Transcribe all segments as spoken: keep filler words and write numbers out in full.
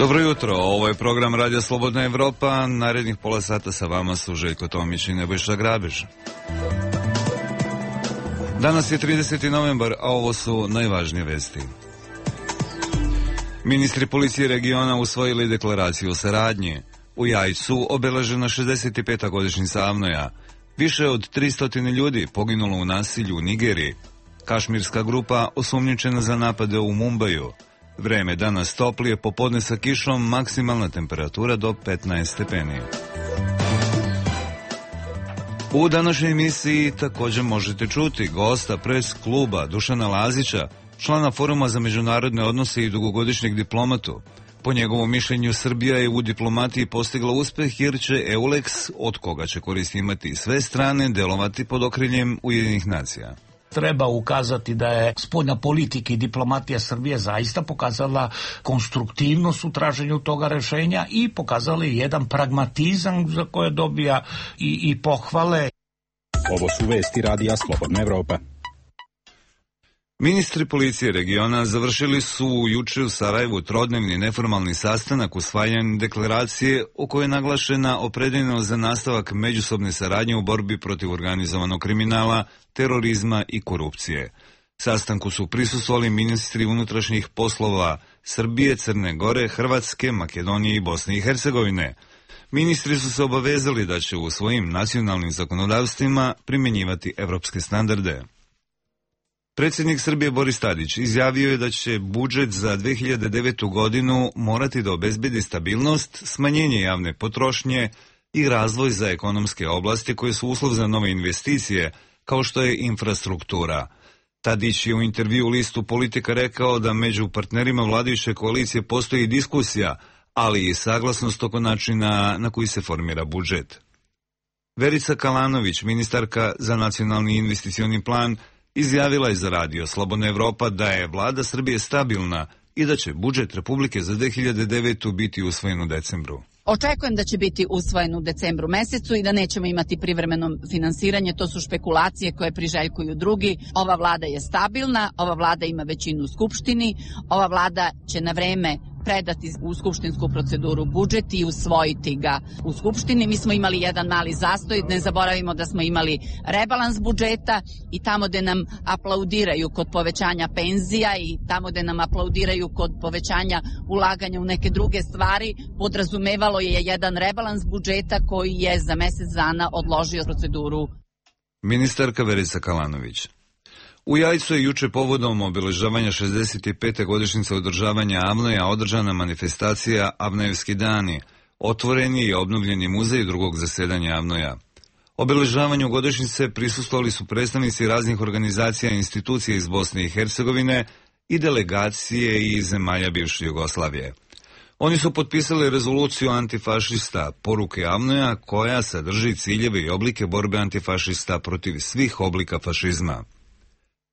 Dobro jutro, ovo je program Radio Slobodna Evropa. Narednih pola sata sa vama su Željko Tomić i Nebojša Grabež. Danas je trideseti novembar, a ovo su najvažnije vesti. Ministri policije regiona usvojili deklaraciju o saradnji. U Jajcu obeležena šezdeset peta godišnjica Avnoja. Više od tristo ljudi poginulo u nasilju u Nigeriji. Kašmirska grupa osumnjičena za napade u Mumbaju. Vreme danas toplije, popodne sa kišom, maksimalna temperatura do petnaest stepeni. U današnjoj emisiji također možete čuti gosta pres kluba Dušana Lazića, člana Foruma za međunarodne odnose i dugogodišnjeg diplomatu. Po njegovom mišljenju, Srbija je u diplomatiji postigla uspeh jer će EULEX, od koga će koristi imati sve strane, delovati pod okriljem Ujedinjenih nacija. Treba ukazati da je spoljna politika i diplomatija Srbije zaista pokazala konstruktivnost u traženju toga rešenja i pokazala je jedan pragmatizam za koje dobija i, i pohvale. Ovo su vesti Radija Slobodna Evropa. Ministri policije regiona završili su juče u Sarajevu trodnevni neformalni sastanak usvajanjem deklaracije u kojoj je naglašena opredeljenost za nastavak međusobne saradnje u borbi protiv organizovanog kriminala, terorizma i korupcije. Sastanku su prisustvovali ministri unutrašnjih poslova Srbije, Crne Gore, Hrvatske, Makedonije i Bosne i Hercegovine. Ministri su se obavezali da će u svojim nacionalnim zakonodavstvima primjenjivati evropske standarde. Predsjednik Srbije Boris Tadić izjavio je da će budžet za dve hiljade devetu. godinu morati da obezbedi stabilnost, smanjenje javne potrošnje i razvoj za ekonomske oblasti koje su uslov za nove investicije, kao što je infrastruktura. Tadić je u intervju listu Politika rekao da među partnerima vladajuće koalicije postoji diskusija, ali i saglasnost oko načina na koji se formira budžet. Verica Kalanović, ministarka za nacionalni investicioni plan, izjavila je za Radio Slobodna Evropa da je vlada Srbije stabilna i da će budžet Republike za dve hiljade devetu. biti usvojen u decembru. Očekujem da će biti usvojen u decembru mesecu i da nećemo imati privremeno finansiranje, to su špekulacije koje priželjkuju drugi. Ova vlada je stabilna, ova vlada ima većinu u Skupštini, ova vlada će na vreme predati u skupštinsku proceduru budžet i usvojiti ga u Skupštini. Mi smo imali jedan mali zastoj, ne zaboravimo da smo imali rebalans budžeta i tamo gde nam aplaudiraju kod povećanja penzija i tamo gde nam aplaudiraju kod povećanja ulaganja u neke druge stvari, podrazumevalo je jedan rebalans budžeta koji je za mesec dana odložio proceduru. Ministarka Verica Kalanović. U Jajcu je juče povodom obeležavanja šezdeset pete godišnjice održavanja Avnoja održana manifestacija Avnojevski dani, otvoreni i obnovljeni muzej drugog zasedanja Avnoja. Obeležavanju godišnjice prisustvovali su predstavnici raznih organizacija i institucija iz Bosne i Hercegovine i delegacije iz zemalja bivše Jugoslavije. Oni su potpisali rezoluciju antifašista Poruke Avnoja koja sadrži ciljeve i oblike borbe antifašista protiv svih oblika fašizma.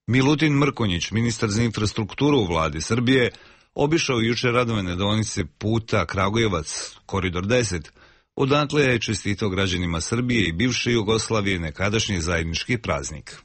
Milutin Mrkonjić, ministar za infrastrukturu u vladi Srbije, obišao juče radovane deonice puta Kragujevac, koridor deset, odatle je čestitao građanima Srbije i bivše Jugoslavije nekadašnji zajednički praznik.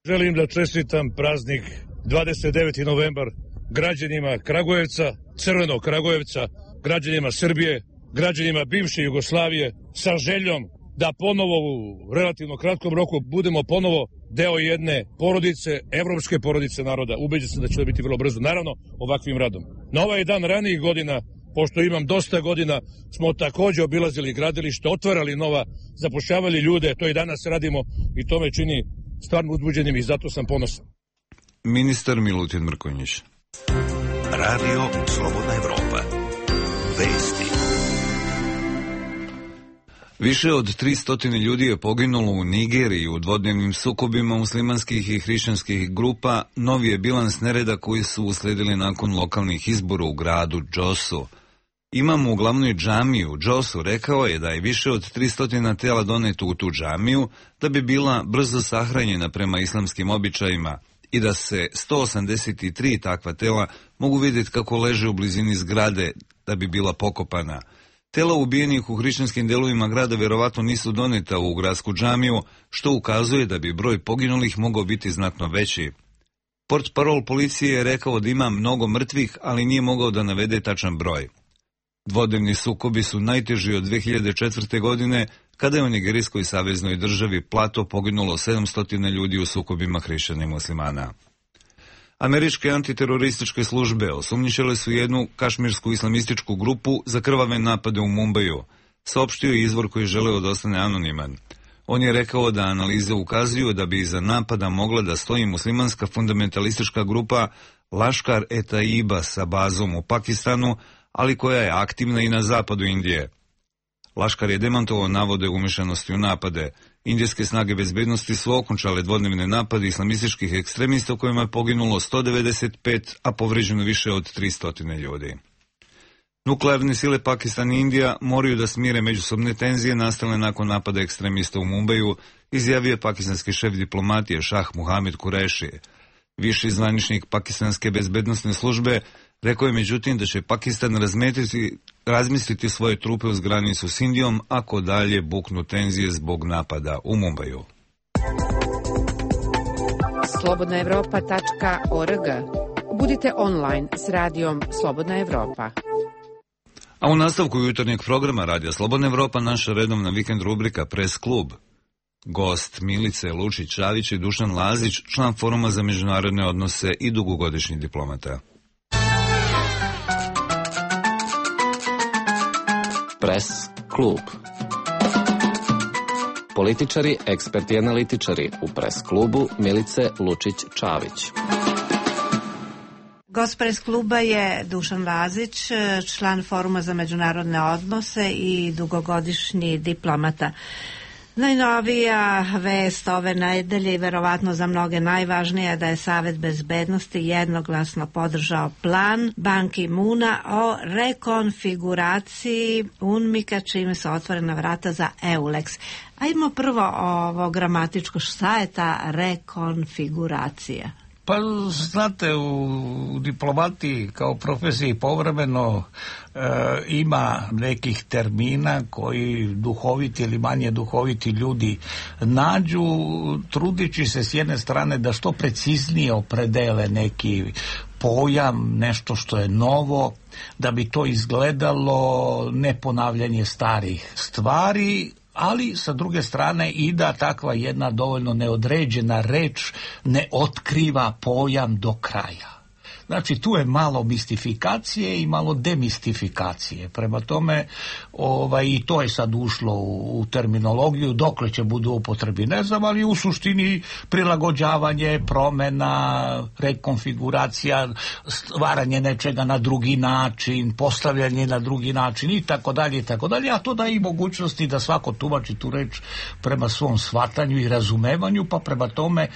Želim da čestitam praznik dvadeset deveti novembar građanima Kragujevca, Crvenog Kragujevca, građanima Srbije, građanima bivše Jugoslavije, sa željom da ponovo u relativno kratkom roku budemo ponovo deo jedne porodice, evropske porodice naroda. Ubeđen sam da će to biti vrlo brzo, naravno ovakvim radom. Na ovaj dan ranijih godina, pošto imam dosta godina, smo takođe obilazili gradilište, otvarali nova, zapošljavali ljude, to i danas radimo i to me čini stvarno uzbuđenim i zato sam ponosan. Ministar Milutin Mrkonjić. Radio Slobodna Evropa. Vesti. Više od tristo ljudi je poginulo u Nigeriji u dvodnevnim sukobima muslimanskih i hrišćanskih grupa. Novi je bilans nereda koji su usledili nakon lokalnih izbora u gradu Džosu. Imam u glavnoj džamiji u Džosu rekao je da je više od tristo tela doneto u tu džamiju da bi bila brzo sahranjena prema islamskim običajima i da se sto osamdeset tri takva tela mogu vidjeti kako leže u blizini zgrade da bi bila pokopana. Tela ubijenih u hrišćanskim delovima grada vjerovatno nisu doneta u gradsku džamiju, što ukazuje da bi broj poginulih mogao biti znatno veći. Portparol policije je rekao da ima mnogo mrtvih, ali nije mogao da navede tačan broj. Dvodnevni sukobi su najteži od dve hiljade četvrte. godine, kada je u nigerijskoj saveznoj državi Plato poginulo sedamsto ljudi u sukobima hrišćana i muslimana. Američke antiterorističke službe osumnjičile su jednu kašmirsku islamističku grupu za krvave napade u Mumbaju, saopštio je izvor koji želeo da ostane anoniman. On je rekao da analize ukazuju da bi iza napada mogla da stoji muslimanska fundamentalistička grupa Laškar-e-Taiba sa bazom u Pakistanu, ali koja je aktivna i na zapadu Indije. Laškar je demantovao navode umešanosti u napade. Indijske snage bezbednosti su okončale dvodnevne napade islamističkih ekstremista u kojima je poginulo sto devedeset pet, a povređeno više od tristo ljudi. Nuklearne sile Pakistan i Indija moraju da smire međusobne tenzije nastale nakon napada ekstremista u Mumbaju, izjavio je pakistanski šef diplomatije Šah Muhamed Kureši. Viši zvaničnik pakistanske bezbednosne službe rekao je međutim da će Pakistan razmetiti, razmisliti svoje trupe uz granicu s Indijom ako dalje buknu tenzije zbog napada u Mumbaju. slobodna evropa tačka org. Budite online s radijom Slobodna Evropa. A u nastavku jutarnjeg programa Radija Slobodna Evropa naša redovna vikend rubrika Press klub. Gost Milice Lučić-Čavić i Dušan Lazić, član Foruma za međunarodne odnose i dugogodišnji diplomata. Press klub. Političari, eksperti i analitičari u Press klubu Milice Lučić-Čavić. Gost Press kluba je Dušan Lazić, član Foruma za međunarodne odnose i dugogodišnji diplomata. Najnovija vest ove nedelje i verovatno za mnoge najvažnija da je Savet bezbednosti jednoglasno podržao plan Ban Ki-moona o rekonfiguraciji UNMIK-a, čime su otvorena vrata za EULEX. Ajmo prvo ovo gramatičko, šta je ta rekonfiguracija? Pa znate, u diplomatiji kao profesiji povremeno e, ima nekih termina koji duhoviti ili manje duhoviti ljudi nađu, trudići se s jedne strane da što preciznije opredele neki pojam, nešto što je novo, da bi to izgledalo neponavljanje starih stvari, ali sa druge strane i da takva jedna dovoljno neodređena reč ne otkriva pojam do kraja. Znači tu je malo mistifikacije i malo demistifikacije. Prema tome ovaj, i to je sad ušlo u, u terminologiju, dokle će budu upotrebi ne znam, ali u suštini prilagođavanje, promena, rekonfiguracija, stvaranje nečega na drugi način, postavljanje na drugi način i tako dalje i tako dalje, a to da i mogućnosti da svako tumači tu reč prema svom shvatanju i razumevanju, pa prema tome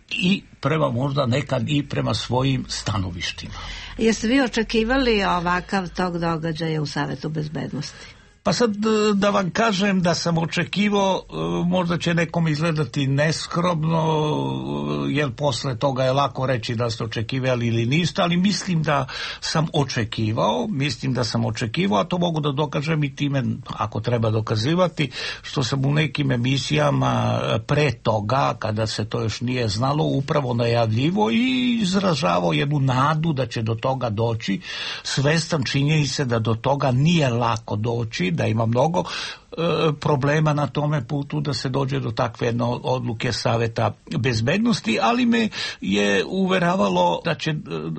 i prema možda nekad i prema svojim stanovištima. Jeste vi očekivali ovakav tog događaja u Savetu bezbednosti? Pa sad da vam kažem da sam očekivao, možda će nekom izgledati neskromno, jer posle toga je lako reći da ste očekivali ili niste, ali mislim da sam očekivao, mislim da sam očekivao, a to mogu da dokažem i time, ako treba dokazivati, što sam u nekim emisijama pre toga, kada se to još nije znalo, upravo najavljivo i izražavao jednu nadu da će do toga doći, svestan činjenice da do toga nije lako doći, da ima mnogo e, problema na tome putu da se dođe do takve jedne odluke Saveta bezbednosti, ali me je uveravalo da će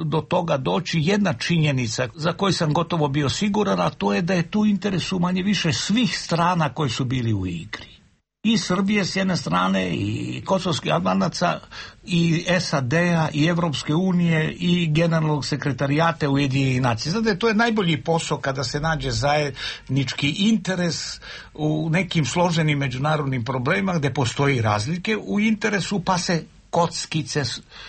do toga doći jedna činjenica za koju sam gotovo bio siguran, a to je da je tu interesu manje više svih strana koji su bili u igri. I Srbije s jedne strane, i kosovskih Albanaca, i S A D-a, i Evropske unije, i generalnog sekretarijata Ujedinjenih nacija. Znate, to je najbolji posao kada se nađe zajednički interes u nekim složenim međunarodnim problemima gde postoji razlike u interesu, pa se kockice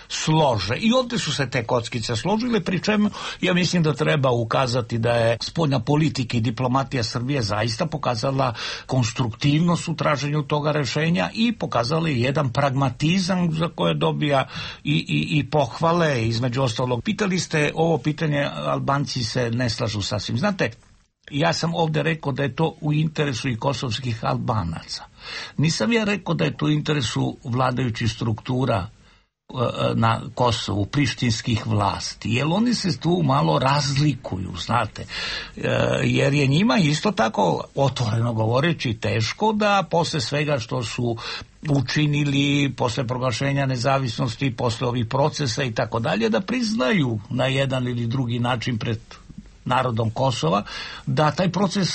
slože. I ovdje su se te kockice složile, pri čemu ja mislim da treba ukazati da je spoljna politika i diplomatija Srbije zaista pokazala konstruktivnost u traženju toga rešenja i pokazala je jedan pragmatizam za koje dobija i, i, i pohvale, između ostalog. Pitali ste ovo pitanje, Albanci se ne slažu sasvim. Znate, ja sam ovdje rekao da je to u interesu i kosovskih Albanaca. Nisam ja rekao da je to u interesu vladajućih struktura na Kosovu, prištinskih vlasti, jer oni se tu malo razlikuju, znate, jer je njima isto tako, otvoreno govoreći, teško da posle svega što su učinili, posle proglašenja nezavisnosti, posle ovih procesa i tako dalje, da priznaju na jedan ili drugi način pred narodom Kosova, da taj proces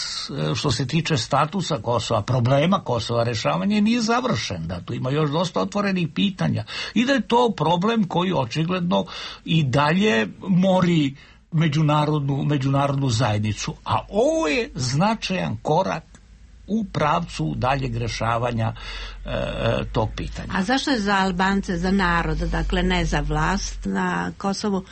što se tiče statusa Kosova, problema Kosova, rešavanje nije završen, da tu ima još dosta otvorenih pitanja i da je to problem koji očigledno i dalje mori međunarodnu, međunarodnu zajednicu. A ovo je značajan korak u pravcu daljeg rešavanja e, tog pitanja. A zašto je za Albance, za narod, dakle ne za vlast na Kosovu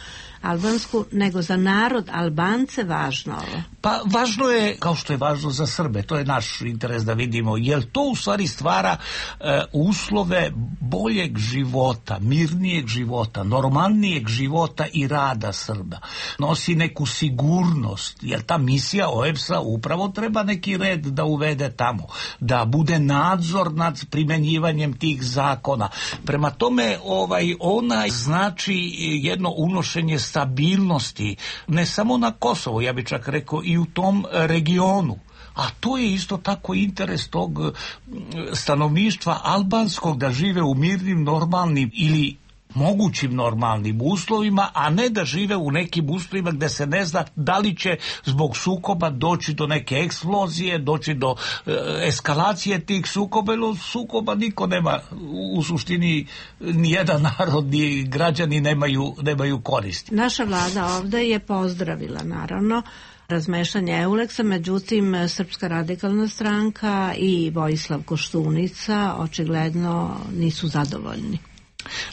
albansku, nego za narod Albance važno ovo? Pa važno je, kao što je važno za Srbe, to je naš interes da vidimo, jer to u stvari stvara e, uslove boljeg života, mirnijeg života, normalnijeg života i rada Srba. Nosi neku sigurnost, jer ta misija O E B S-a upravo treba neki red da uvede tamo, da bude nadzor nad primenjivanjem tih zakona. Prema tome, ovaj, ona znači jedno unošenje stabilnosti, ne samo na Kosovu, ja bih čak rekao i u tom regionu. A to je isto tako interes tog stanovništva albanskog da žive u mirnim, normalnim ili mogućim normalnim uslovima, a ne da žive u nekim uslovima gde se ne zna da li će zbog sukoba doći do neke eksplozije, doći do e, eskalacije tih sukoba, ili sukoba niko nema, u, u suštini nijedan narod, ni građani nemaju, nemaju koristi. Naša vlada ovde je pozdravila, naravno, razmešanje Euleksa, međutim Srpska radikalna stranka i Vojislav Koštunica očigledno nisu zadovoljni.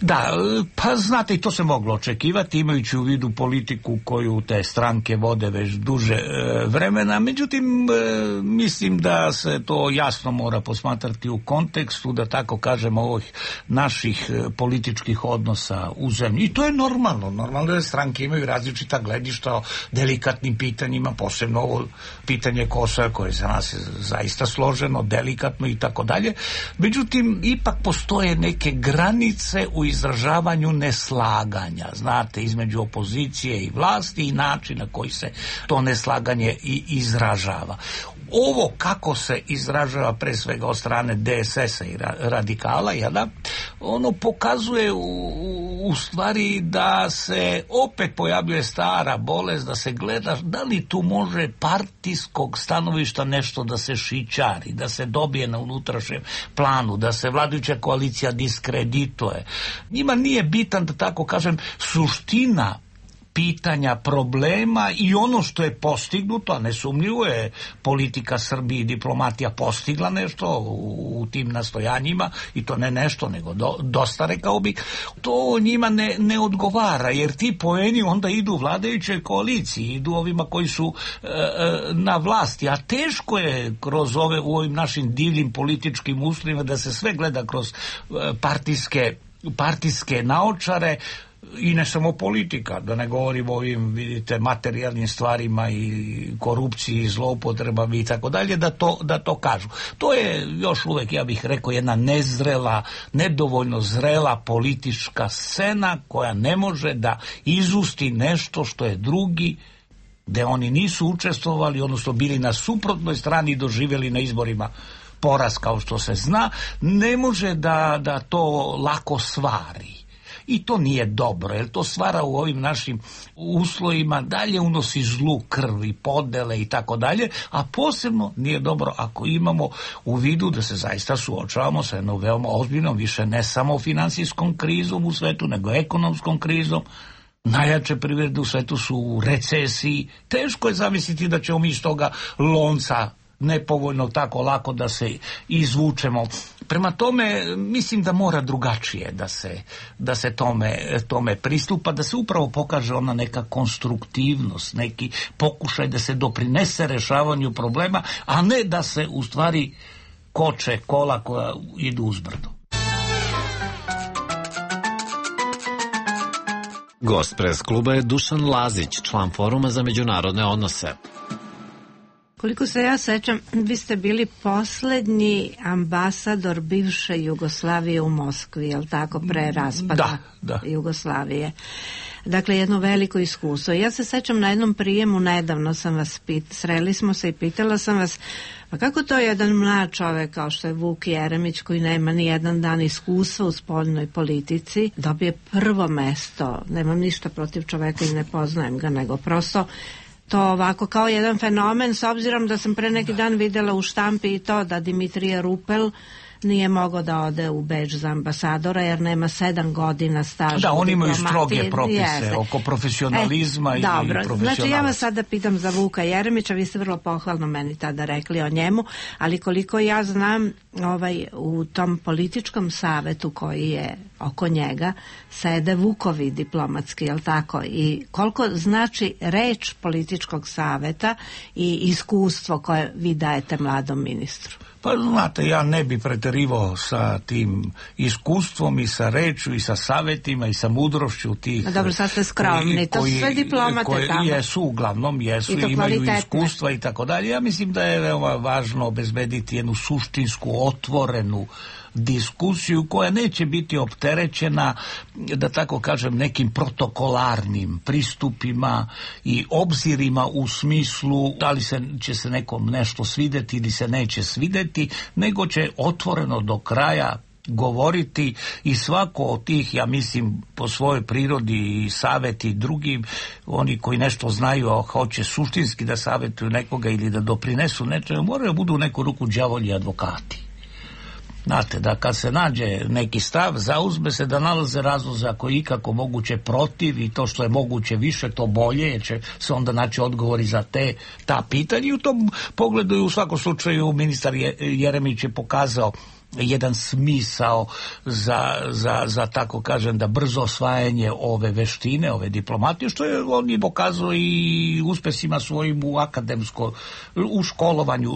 Da, pa znate, i to se moglo očekivati, imajući u vidu politiku koju te stranke vode već duže e, vremena, međutim e, mislim da se to jasno mora posmatrati u kontekstu, da tako kažemo, ovih naših e, političkih odnosa u zemlji. I to je normalno, normalno da stranke imaju različita gledišta o delikatnim pitanjima, posebno ovo pitanje Kosova koje za nas je zaista složeno, delikatno i tako dalje. Međutim, ipak postoje neke granice u izražavanju neslaganja, znate, između opozicije i vlasti i način na koji se to neslaganje i izražava. Ovo kako se izražava pre svega od strane D S S-a i radikala, jada, ono pokazuje u, u stvari da se opet pojavljuje stara bolest, da se gleda da li tu može partijskog stanovišta nešto da se šićari, da se dobije na unutrašnjem planu, da se vladajuća koalicija diskredituje. Njima nije bitan, da tako kažem, suština pitanja, problema i ono što je postignuto, a nesumnjivo je politika Srbije i diplomatija postigla nešto u, u tim nastojanjima, i to ne nešto, nego do, dosta, rekao bih, to njima ne, ne odgovara, jer ti poeni onda idu vladajućoj koaliciji, idu ovima koji su e, na vlasti, a teško je kroz ove, u ovim našim divnim političkim uslovima da se sve gleda kroz e, partijske, partijske naočare. I ne samo politika, da ne govorim o ovim, vidite, materijalnim stvarima i korupciji i zloupotrebama i tako dalje, da to, da to kažu. To je još uvek, ja bih rekao, jedna nezrela, nedovoljno zrela politička scena koja ne može da izusti nešto što je drugi, gde oni nisu učestvovali, odnosno bili na suprotnoj strani i doživjeli na izborima poraz, kao što se zna, ne može da, da to lako svari. I to nije dobro, jer to stvara u ovim našim uslovima, dalje unosi zlu krv i podele i tako dalje, a posebno nije dobro ako imamo u vidu da se zaista suočavamo sa jednom veoma ozbiljnom, više ne samo finansijskom krizom u svetu, nego ekonomskom krizom. Najjače privrede u svetu su u recesiji. Teško je zamisliti da ćemo mi iz toga lonca nepovoljno tako lako da se izvučemo. Prema tome, mislim da mora drugačije da se, da se tome, tome pristupa, da se upravo pokaže ona neka konstruktivnost, neki pokušaj da se doprinese rešavanju problema, a ne da se u stvari koče kola koja idu uzbrdo. Gost pres kluba je Dušan Lazić, član Foruma za međunarodne odnose. Koliko se ja sećam, vi ste bili poslednji ambasador bivše Jugoslavije u Moskvi, je li tako, pre raspada da, da. Jugoslavije. Dakle, jedno veliko iskustvo. Ja se sećam na jednom prijemu, nedavno sam vas pit, sreli smo se i pitala sam vas, pa kako to jedan mlad čovek kao što je Vuk Jeremić, koji nema ni jedan dan iskustva u spoljnoj politici, dobije prvo mesto. Nemam ništa protiv čoveka i ne poznajem ga, nego prosto to ovako kao jedan fenomen, s obzirom da sam pre neki dan videla u štampi i to da Dimitrije Rupel nije mogao da ode u Beč za ambasadora jer nema sedam godina staža. Da, oni imaju stroge propise Jeste. oko profesionalizma e, i dobro. profesionalnosti. Znači ja vas sada pitam za Vuka Jeremića, vi ste vrlo pohvalno meni tada rekli o njemu, ali koliko ja znam, ovaj, u tom političkom savetu koji je oko njega sede Vukovi diplomatski, jel tako? I koliko znači reč političkog saveta i iskustvo koje vi dajete mladom ministru? Pa znate, ja ne bi preterivao sa tim iskustvom i sa reču i sa savjetima i sa mudrošću tih... A dobro, sad ste skromni, to su sve diplomate koji tamo. Jesu, uglavnom jesu, I imaju iskustva i tako dalje. Ja mislim da je veoma važno obezbediti jednu suštinsku, otvorenu diskusiju koja neće biti opterećena, da tako kažem, nekim protokolarnim pristupima i obzirima u smislu da li se, će se nekom nešto svideti ili se neće svideti, nego će otvoreno do kraja govoriti i svako od tih, ja mislim, po svojoj prirodi i savjeti drugim, oni koji nešto znaju, a hoće suštinski da savjetuju nekoga ili da doprinesu nečemu, moraju budu u neku ruku đavolji advokati. Znate, da kad se nađe neki stav, zauzme se da nalaze razloze ako je ikako moguće protiv i to što je moguće više, to bolje, jer će se onda naći odgovori za te, ta pitanja. I u tom pogledu i u svakom slučaju ministar Jeremić je pokazao jedan smisao za, za, za tako kažem da brzo osvajanje ove veštine, ove diplomatije, što je on je pokazao i uspesima svojim u akademsko, u školovanju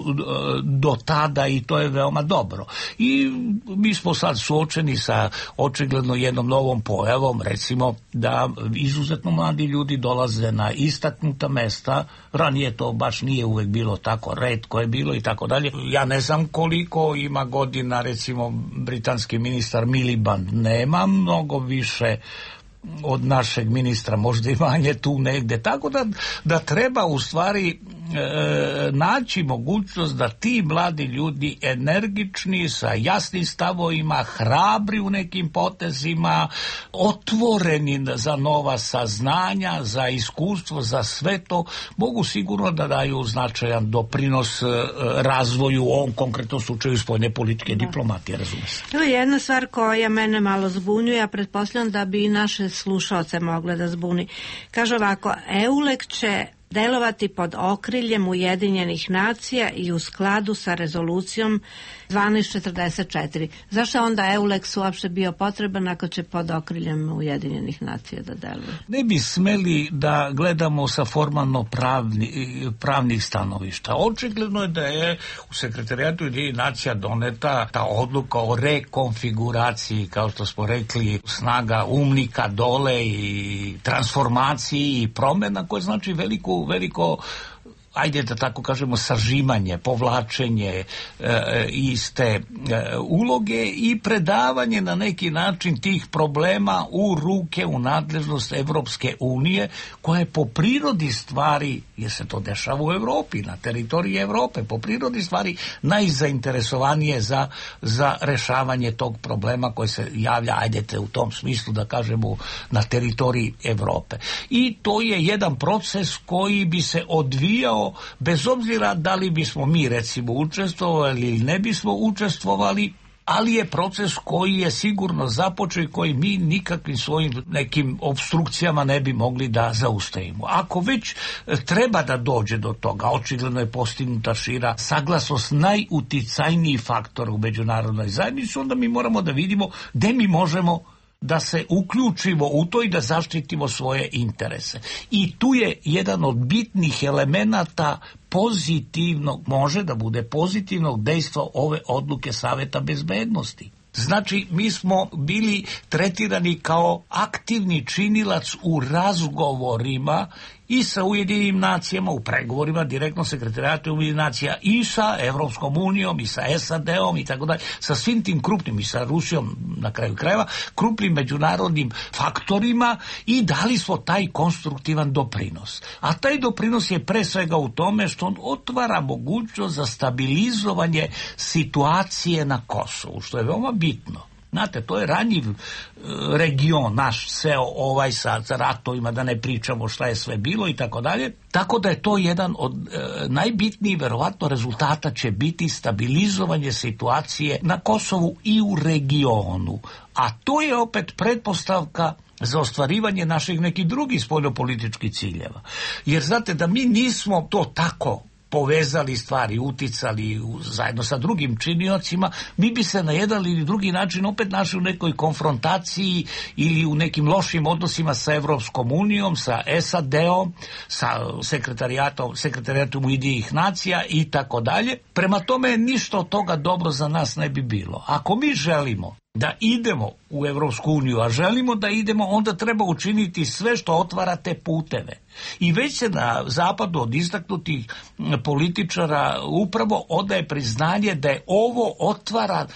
do tada i to je veoma dobro. I mi smo sad suočeni sa očigledno jednom novom pojavom, recimo da izuzetno mladi ljudi dolaze na istaknuta mesta, ranije to baš nije uvek bilo tako, retko je bilo i tako dalje. Ja ne znam koliko ima godina, recimo britanski ministar Miliband, nema mnogo više od našeg ministra, možda i manje tu negde, tako da, da treba u stvari e, naći mogućnost da ti mladi ljudi energični, sa jasnim stavovima, hrabri u nekim potezima, otvoreni za nova saznanja, za iskustvo, za sve to, mogu sigurno da daju značajan doprinos e, razvoju u ovom konkretnom slučaju spoljne politike diplomatije, razumije se. Evo jedna stvar koja mene malo zbunjuje, ja pretpostavljam da bi i naše slušaoce mogle da zbuni. Kaže ovako, EULEK će delovati pod okriljem Ujedinjenih nacija i u skladu sa rezolucijom dvanaest četrdeset četiri. Zašto je onda EULEX uopšte bio potreban ako će pod okriljem Ujedinjenih nacija da deluje? Ne bi smeli da gledamo sa formalno pravni, pravnih stanovišta. Očigledno je da je u sekretarijatu Ujedinjenih nacija doneta ta odluka o rekonfiguraciji, kao što smo rekli, snaga umnika dole i transformaciji i promjena koje znači veliku veliko, ajde da tako kažemo, sažimanje, povlačenje e, iste e, uloge i predavanje na neki način tih problema u ruke, u nadležnost Evropske unije, koja je po prirodi stvari, jer se to dešava u Evropi, na teritoriji Evrope, po prirodi stvari najzainteresovanije za, za rešavanje tog problema koji se javlja, ajdete u tom smislu da kažemo, na teritoriji Evrope. I to je jedan proces koji bi se odvijao bez obzira da li bismo mi recimo učestvovali ili ne bismo učestvovali, ali je proces koji je sigurno započeo i koji mi nikakvim svojim nekim obstrukcijama ne bi mogli da zaustavimo. Ako već treba da dođe do toga, očigledno je postignuta šira saglasnost najuticajniji faktor u međunarodnoj zajednici, onda mi moramo da vidimo gde mi možemo da se uključimo u to i da zaštitimo svoje interese. I tu je jedan od bitnih elemenata pozitivnog, može da bude pozitivnog dejstva ove odluke Saveta bezbednosti. Znači, mi smo bili tretirani kao aktivni činilac u razgovorima i sa Ujedinim nacijama u pregovorima, direktno sekretarijatu Ujedinih nacija, i sa Evropskom unijom, i sa S A D-om i tako dalje, sa svim tim krupnim, i sa Rusijom na kraju krajeva, krupnim međunarodnim faktorima, i dali smo taj konstruktivan doprinos. A taj doprinos je pre svega u tome što on otvara mogućnost za stabilizovanje situacije na Kosovu, što je veoma bitno. Znate, to je ranjiv e, region naš, sve ovaj sa, sa ratovima, da ne pričamo šta je sve bilo i tako dalje. Tako da je to jedan od e, najbitnijih, verovatno, rezultata će biti stabilizovanje situacije na Kosovu i u regionu. A to je opet pretpostavka za ostvarivanje naših nekih drugih spoljnopolitičkih ciljeva. Jer znate da mi nismo to tako povezali stvari, uticali zajedno sa drugim činiocima, mi bi se na jedan ili drugi način opet našli u nekoj konfrontaciji ili u nekim lošim odnosima sa Evropskom unijom, sa S A D-om, sa sekretarijatom, sekretarijatom Ujedinjenih nacija i tako dalje. Prema tome, ništa od toga dobro za nas ne bi bilo. Ako mi želimo da idemo u Evropsku uniju, a želimo da idemo, onda treba učiniti sve što otvara te puteve. I već se na zapadu od istaknutih političara upravo odaje priznanje da je ovo otvara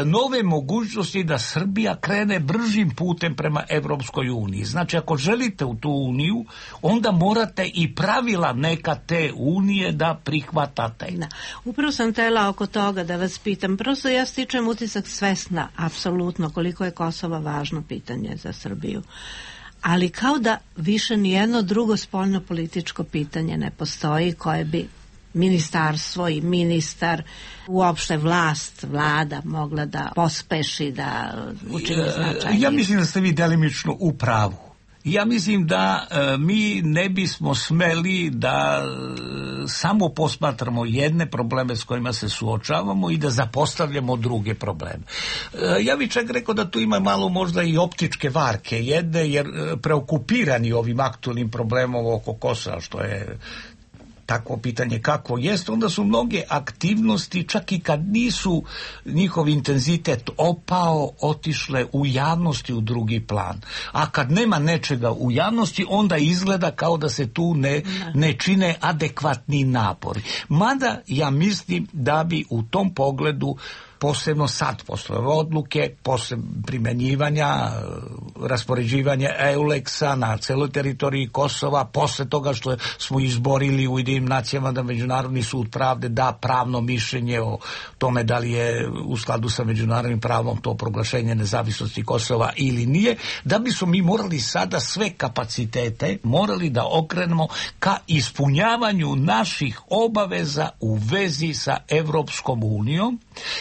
nove mogućnosti da Srbija krene bržim putem prema Evropskoj uniji. Znači, ako želite u tu uniju, onda morate i pravila neka te unije da prihvatate. Da. Upravo sam tela oko toga da vas pitam. Prosto ja stičem utisak svesna, apsolutno, koliko je Kosovo važno pitanje za Srbiju. Ali kao da više nijedno drugo spoljno-političko pitanje ne postoji koje bi ministarstvo i ministar, uopšte vlast, vlada mogla da pospeši, da učini značajnije. Ja mislim da ste vi delimično u pravu. Ja mislim da e, mi ne bismo smeli da e, samo posmatramo jedne probleme s kojima se suočavamo i da zapostavljamo druge probleme. E, ja bih čak rekao da tu ima malo možda i optičke varke jedne, jer e, preokupirani ovim aktualnim problemom oko Kosova, što je takvo pitanje kako jest, onda su mnoge aktivnosti, čak i kad nisu njihov intenzitet opao, otišle u javnosti u drugi plan. A kad nema nečega u javnosti, onda izgleda kao da se tu ne, ne čine adekvatni napori. Mada ja mislim da bi u tom pogledu, posebno sad, posle odluke, posle primenjivanja, raspoređivanja EULEX-a na celoj teritoriji Kosova, posle toga što smo izborili u Ujedinjenim nacijama da Međunarodni sud pravde da pravno mišljenje o tome da li je u skladu sa međunarodnim pravom to proglašenje nezavisnosti Kosova ili nije, da bi smo mi morali sada sve kapacitete morali da okrenemo ka ispunjavanju naših obaveza u vezi sa Evropskom unijom,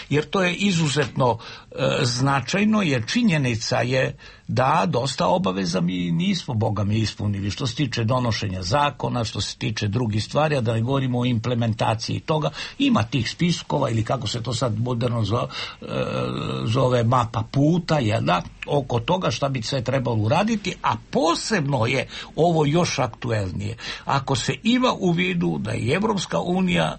jer to je izuzetno e, značajno, jer činjenica je da dosta obaveza mi nismo, Boga mi, ispunili, što se tiče donošenja zakona, što se tiče drugih stvari, a da ne govorimo o implementaciji toga. Ima tih spiskova, ili kako se to sad moderno zove, zove mapa puta, je da, oko toga šta bi sve trebalo uraditi, a posebno je ovo još aktuelnije. Ako se ima u vidu da je Evropska unija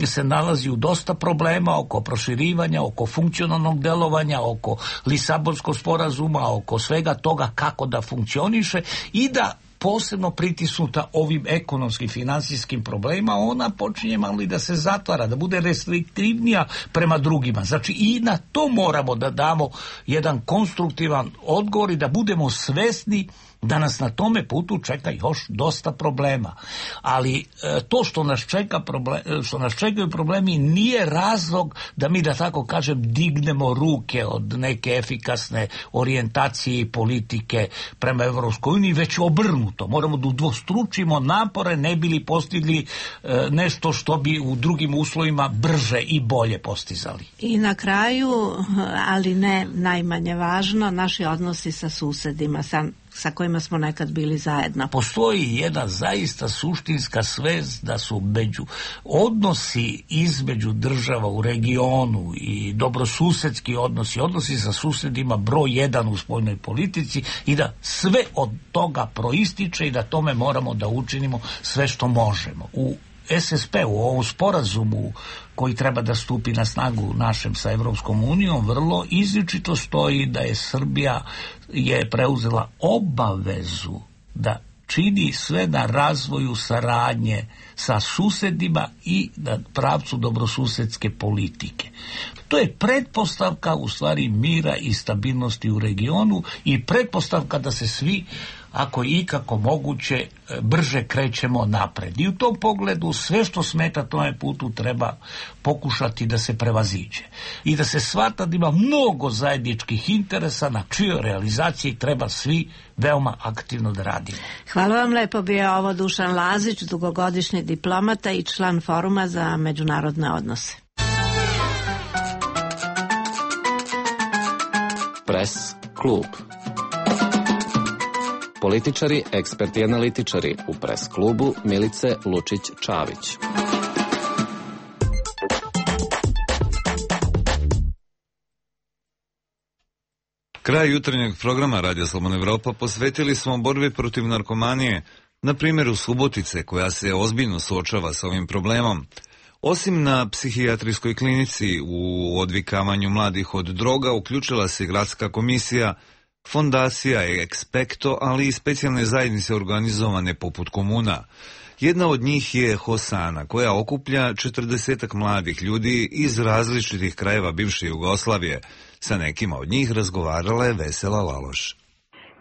se nalazi u dosta problema oko proširivanja, oko funkcionalnog delovanja, oko Lisabonskog sporazuma, oko svega toga kako da funkcioniše, i da posebno pritisnuta ovim ekonomskim, finansijskim problemima, ona počinje malo i da se zatvara, da bude restriktivnija prema drugima. Znači i na to moramo da damo jedan konstruktivan odgovor i da budemo svesni da nas na tome putu čeka još dosta problema. Ali e, to što nas čeka problem, što nas čekaju problemi nije razlog da mi, da tako kažem, dignemo ruke od neke efikasne orijentacije i politike prema Evropskoj uniji, već obrnuto. Moramo da udvostručimo napore ne bili postigli e, nešto što bi u drugim uslovima brže i bolje postizali. I na kraju, ali ne najmanje važno, naši odnosi sa susedima, sa sa kojima smo nekad bili zajedno. Postoji jedna zaista suštinska svest da su među odnosi između država u regionu i dobrosusedski odnosi, odnosi sa susedima broj jedan u spoljnoj politici, i da sve od toga proističe i da tome moramo da učinimo sve što možemo. U S S P, u ovom sporazumu koji treba da stupi na snagu našem sa Evropskom unijom, vrlo izričito stoji da je Srbija je preuzela obavezu da čini sve na razvoju saradnje sa susedima i na pravcu dobrosusedske politike. To je pretpostavka u stvari mira i stabilnosti u regionu i pretpostavka da se svi, ako je ikako moguće, brže krećemo napred. I u tom pogledu sve što smeta tome putu treba pokušati da se prevaziđe. I da se shvata da ima mnogo zajedničkih interesa na čijoj realizaciji treba svi veoma aktivno da radimo. Hvala vam lepo, bio ovo Dušan Lazić, dugogodišnji diplomata i član Foruma za međunarodne odnose. Pres klub. Političari, eksperti i analitičari u Pres klubu Milice Lučić-Čavić. Kraj jutarnjeg programa Radio Slobodna Evropa posvetili smo borbi protiv narkomanije, na primjeru Subotice koja se ozbiljno suočava s ovim problemom. Osim na psihijatrijskoj klinici u odvikavanju mladih od droga uključila se gradska komisija, fondacija Expecto, ali i specijalne zajednice organizovane poput komuna. Jedna od njih je Hosana, koja okuplja četrdesetak mladih ljudi iz različitih krajeva bivše Jugoslavije. Sa nekima od njih razgovarala je Vesela Laloš.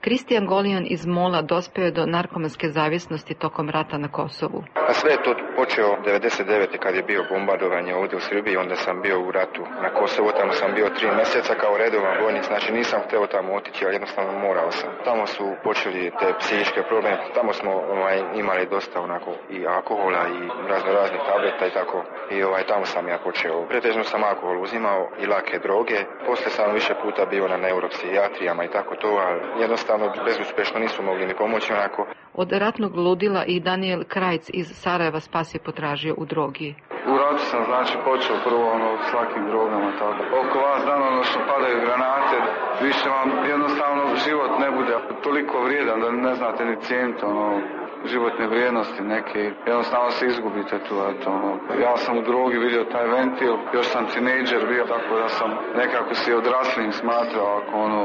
Kristijan Golijan iz Mola dospeo je do narkomanske zavisnosti tokom rata na Kosovu. A sve je to počeo devedeset devete kad je bio bombardovanje ovdje u Srbiji, onda sam bio u ratu na Kosovu, tamo sam bio tri mjeseca kao redovan vojnik, znači nisam htio tamo otići, ali jednostavno morao sam. Tamo su počeli te psihičke probleme, tamo smo ovaj, imali dosta onako i alkohola i razno raznih tableta i tako. I ovaj, tamo sam ja počeo. Pretežno sam alkohol uzimao i lake droge, poslije sam više puta bio na neuropsihijatrijama i tako to, ali jednostavno bezuspešno nisu mogli mi pomoći onako. Od ratnog ludila i Daniel Krajc iz Sarajeva spas je potražio u drogi. U ratu sam znači počeo prvo ono s lakim drogama tako. Oko vas dan ono što padaju granate, više vam jednostavno život ne bude toliko vrijedan da ne znate ni cijeniti ono životne vrijednosti neke, jednostavno se izgubite tu, eto, ono. Ja sam u drogi vidio taj ventil, još sam tinejdžer bio, tako da sam nekako si odraslim smatrao ako ono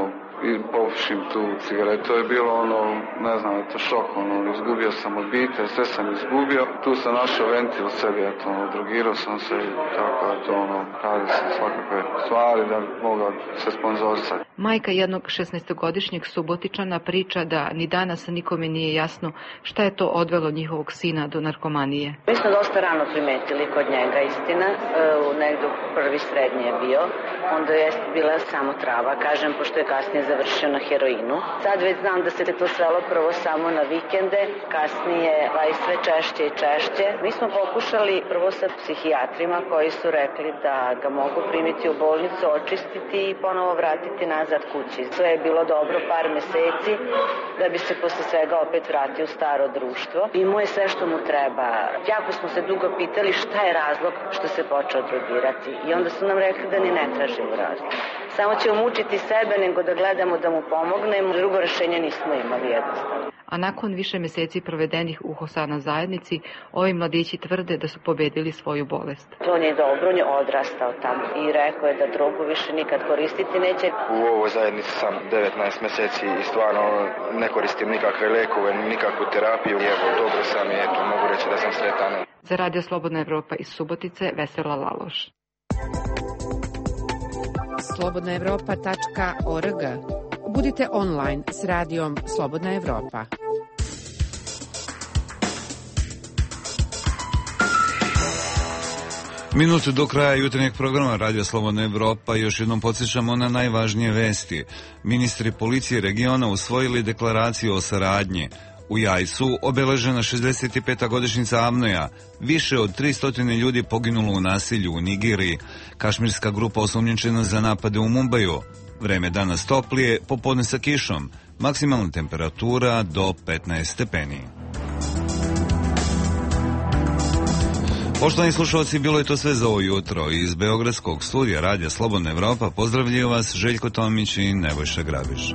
i popušim tu cigaretu. To je bilo ono, ne znam, eto šok, ono, izgubio sam obitelj, sve sam izgubio. Tu sam našao ventil sebi, eto, ono, drogirao sam se i tako, eto, ono, radi sam svakakve stvari da bi mogao se sponzorisati. Majka jednog šesnaestogodišnjeg Subotičana priča da ni danas nikome nije jasno šta je to odvelo njihovog sina do narkomanije. Mi smo dosta rano primetili kod njega, istina, u negdje prvi srednji je bio, onda je bila samo trava, kažem, pošto je kasnije završio na heroinu. Sad već znam da se to svelo prvo samo na vikende, kasnije i sve češće i češće. Mi smo pokušali prvo sa psihijatrima koji su rekli da ga mogu primiti u bolnicu, očistiti i ponovo vratiti nazad kući. Sve je bilo dobro par meseci da bi se posle svega opet vratio u staro društvo. Imao je sve što mu treba. Jako smo se dugo pitali šta je razlog što se počeo drogirati i onda su nam rekli da ni ne tražimo razlog. Samo ćemo mučiti sebe nego da gledamo da mu pomognemo, drugo rešenje nismo imali jednostavno. A nakon više meseci provedenih u Hosana zajednici, ovi mladići tvrde da su pobedili svoju bolest. To nije dobro, on je odrastao tamo i rekao je da drogu više nikad koristiti neće. U ovoj zajednici sam devetnaest meseci i stvarno ne koristim nikakve lekove, nikakvu terapiju. I evo, dobro sam i eto, mogu reći da sam sretan. Za Radio Slobodna Evropa iz Subotice, Vesela Laloš. slobodna evropa tačka org. Budite online s radijom Slobodna Evropa. Minutu do kraja jutarnjeg programa Radio Slobodna Evropa još jednom podsjećamo na najvažnije vesti. Ministri policije regiona usvojili deklaraciju o saradnji. U Jajcu obeležena šezdeset peta godišnjica Avnoja. Više od tristo ljudi poginulo u nasilju u Nigeriji. Kašmirska grupa osumnjičena za napade u Mumbaju. Vreme danas toplije, popodne sa kišom. Maksimalna temperatura do petnaest stepeni. Poštovani slušalci, bilo je to sve za ovo jutro. Iz Beogradskog studija Radija Slobodna Evropa pozdravljaju vas Željko Tomić i Nebojša Grabiš.